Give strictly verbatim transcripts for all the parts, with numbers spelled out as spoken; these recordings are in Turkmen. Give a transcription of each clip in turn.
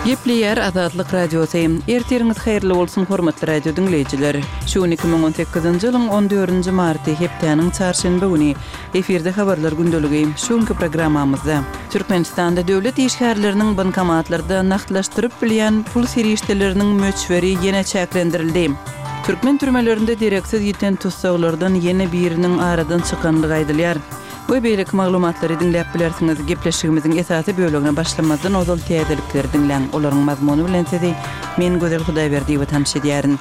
Gepleýär Azatlyk Radiosy. Ertiriňiz haýyrly bolsun, hormatly radio diňleýjiler. Şu gün iki müň on sekizinji ýylyň on dördünji marty, hepdäniň çarşenbe güni. Efirde habarlar gündeligi. Şu günki programmamyzda Türkmenistanda döwlet işgärleriniň bankomatlarda nagtlaşdyryp bilýän pul serişdeleriniň möçberi ýene çäklendirildi. Türkmen türmelerinde dereksiz ýiten tussaglardan ýene biriniň aradan çykandygy aýdylýar. We beýleki maglumatlary diňläp bilersiňiz. Gepleşigimiziň esasy bölegine başlamazdan ozal täzelikleri diňläň. Olaryň mazmuny bilen sizi men Gözel Hudaýberdiýewa tanyş edýärin.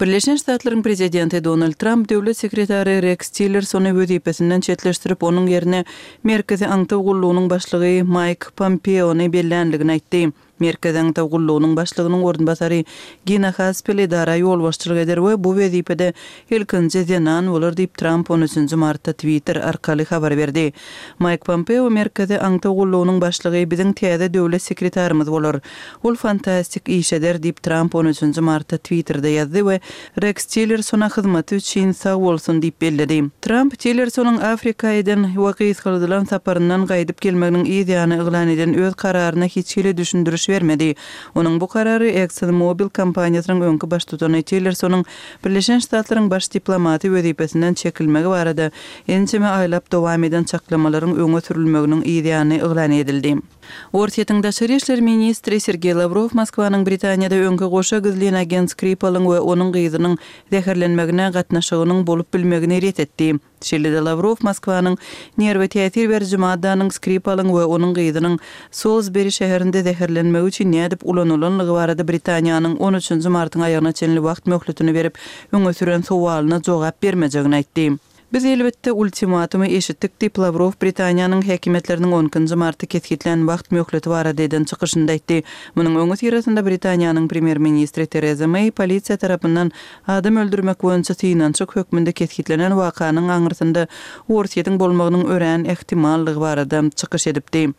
Birleşen Ştatlaryň prezidenti Donald Tramp döwlet sekretary Reks Tillersony wezipesinden çetleşdirip, onuň ýerine Merkezi aňtaw gullugynyň başlygy Maýk Pompeony bellänligini aýtdy. Merkezi aňtaw gullugynyň başlygynyň orunbasary Gina Haspel edara ýolbaşçylyk eder we bu wezipede ilkinji zenan bolar diýip, Tramp on üçünji martda Twitter arkaly habar berdi. Maýk Pompeo Merkezi aňtaw gullugynyň başlygy biziň täze döwlet sekretarymyz bolar. Ol fantastik iş eder diýip, Tramp on üçünji martda Twitterde ýazdy we Reks Tillersona hyzmaty üçin sag bolsun diýip belledi. Tramp Tillersonyň Afrika eden we gysgaldylan saparyndan gaýdyp gelmeginiň yz ýany yglan eden öz kararyna hiç hili düşündiriş bermedi. Onuň bu karary ExxonMobil kompaniýasynyň öňki baştutany Tillersonyň Birleşen Ştatlaryň baş diplomaty wezipesinden çekilmegi barada ençeme aýlap dowam eden çaklamalaryň öňe sürülmeginiň yz ýany yglan edildi. Orsýetiň daşary işler ministri Sergeý Lawrow Moskwanyň Britaniýada öňki goşa gizlin agent Skripalyň we onuň gyzynyň zäherlenmegine gatnaşygynyň bolup bilmegini ret etdi. Şeýle-de Lawrow Moskwanyň nerwe täsir beriji maddanyň Skripalyň we onuň gyzynyň Solsberi şäherinde zäherlenmegi üçin nädip ulanylanlygy barada Britaniýanyň on üçünji martyň aýagyna çenli wagt möhletini berip öňe süren sowalyna jogap bermejegini aýtdy. Biz elbetde ultimatumy eşitdik diýip, Lawrow Britaniýanyň häkimiýetleriniň on ikinji marty kesgitlän wagt möhleti barada eden çykyşynda aýtdy. Munuň öňüsyrasynda Britaniýanyň premýer-ministri Tereza Meý polisiýa tarapyndan adam öldürmek boýunça synanyşyk hökmünde kesgitlenen wakanyň aňyrsynda Orsýetiň bolmagynyň örän ähtimallygy barada çykyş edipdi.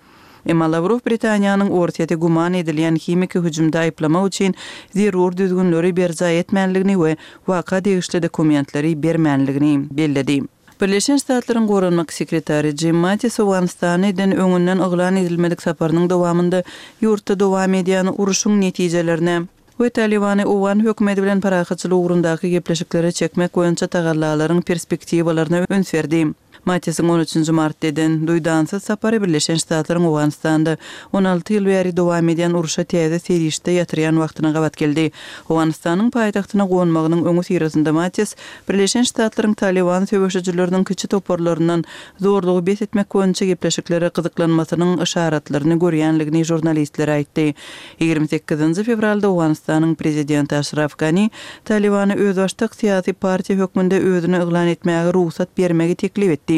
Emma Lawrow Britaniýanyň Orsýeti güman edilýän himiki hüjümde aýyplamak üçin zerur düzgünleri berjaý etmänligini we waka degişli dokumentleri bermänligini belledi. Birleşen Ştatlaryň Goranmak sekretary Jim Mattis Owganystana eden öňünden yglan edilmedik saparynyň dowamynda ýurtda dowam edýän uruşyň netijelerine we Talybany owgan hökümeti bilen parahatçylyk ugrundaky gepleşiklere çekmek boýunça tagallalaryň perspektiwalaryna üns berdi. Mattisiň on üçünji martda eden duýdansyz sapary Birleşen Ştatlaryň Owganystanda on alty ýyl bäri dowam edýän urşa täze serişde ýatyrýan wagtyna gabat geldi. Owganystanyň paýtagtyna gonmagynyň öňüsyrasynda Mattis Birleşen Ştatlaryň Talyban söweşijileriniň kiçi toparlaryndan zorlugy bes etmek boýunça gepleşiklere gyzyklanmasynyň yşaratlaryny görýänligini žurnalistlere aýtdy. Ýigrimi sekizinji fewralda Owganystanyň prezidenti Aşraf Gani Talybany özbaşdak syýasy partiýa hökmünde özüni yglan etmäge rugsat bermegi teklip etdi.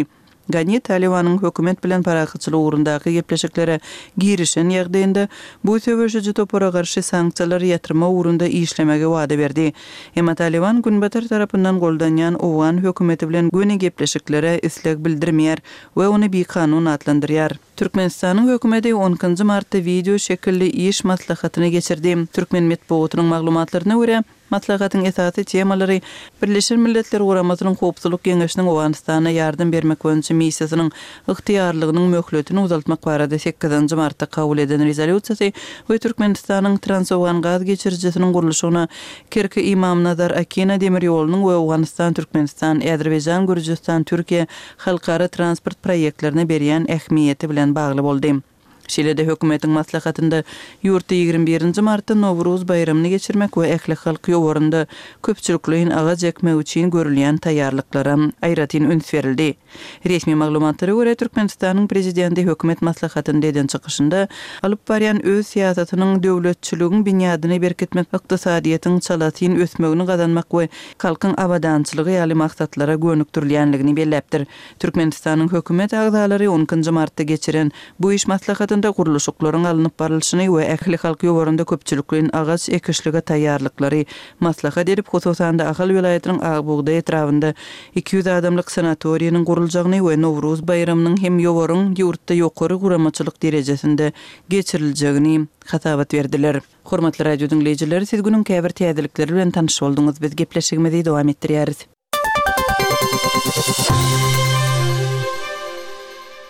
Gani Talybanyň hökümet bilen parahatçylyk ugrundaky gepleşiklere girişen ýagdaýynda bu söweşiji topara garşy sanksiýalary ýatyrmak ugrunda işlemegi wada berdi. Emma Talyban Günbatar tarapyndan goldanýan owgan hökümeti bilen göni gepleşiklere isleg bildirmeýär we ony bikanun atlandyrýar. Türkmenistanyň hökümeti on ikinji martda wideo şekilli iş maslahatyny geçirdi. Türkmen metbugatynyň maglumatlaryna görä, maslahatyň esasy temalary Birleşen Milletler Guramasynyň Howpsuzlyk Geňeşiniň Owganystana ýardam bermek boýunça missiýasynyň ygtyýarlygynyň möhletini uzaltmak barada sekizinji martda kabul eden rezolýusiýasy we Türkmenistanyň Transowgan gaz geçirijisiniň gurluşygyna Kerki-Ymamnazar-Akina demir ýolunyň we Owganystan-Türkmenistan, Azerbaýjan-Gürjüstan-Türkiýe halkara transport proýektlerine berýän ähmiýeti bilen bagly boldy. Şeýle-de hökümetiň maslahatynda ýurtda ýigrimi birinji martda Nowruz baýramyny geçirmek we ählihalk ýowarynda köpçülikleýin agaç ekmek üçin görülýän taýýarlyklara aýratyn üns berildi. Resmi maglumatlara görä, Türkmenistanyň prezidenti hökümet maslahatynda eden çykyşynda alyp barýan öz syýasatynyň döwletçiligiň binýadyny berkitmek, ykdysadyýetiň çalasyn ösmegini gazanmak we halkyň abadançylygy ýaly maksatlara gönükdirilýänligini belläpdir. Türkmenistanyň hökümet agzalary on ikinji martda geçiren bu iş maslahatynda gurluşyklaryň alnyp barlyşyny we ählihalk ýowarynda köpçülikleýin agaç ekişlige taýýarlyklary maslahat edip, hususan-da Ahal welaýatynyň Akbugdaý etrabynda iki ýüz adamlyk sanatoriýanyň guruljagyny we Nowruz baýramynyň hem ýowaryň ýurtda ýokary guramaçylyk derejesinde geçiriljegini hasabat berdiler. Hormatly radio diňleýjiler, siz günüň käbir täzelikleri bilen tanyş bolduňyz. Biz gepleşigimizi dowam etdirýäris.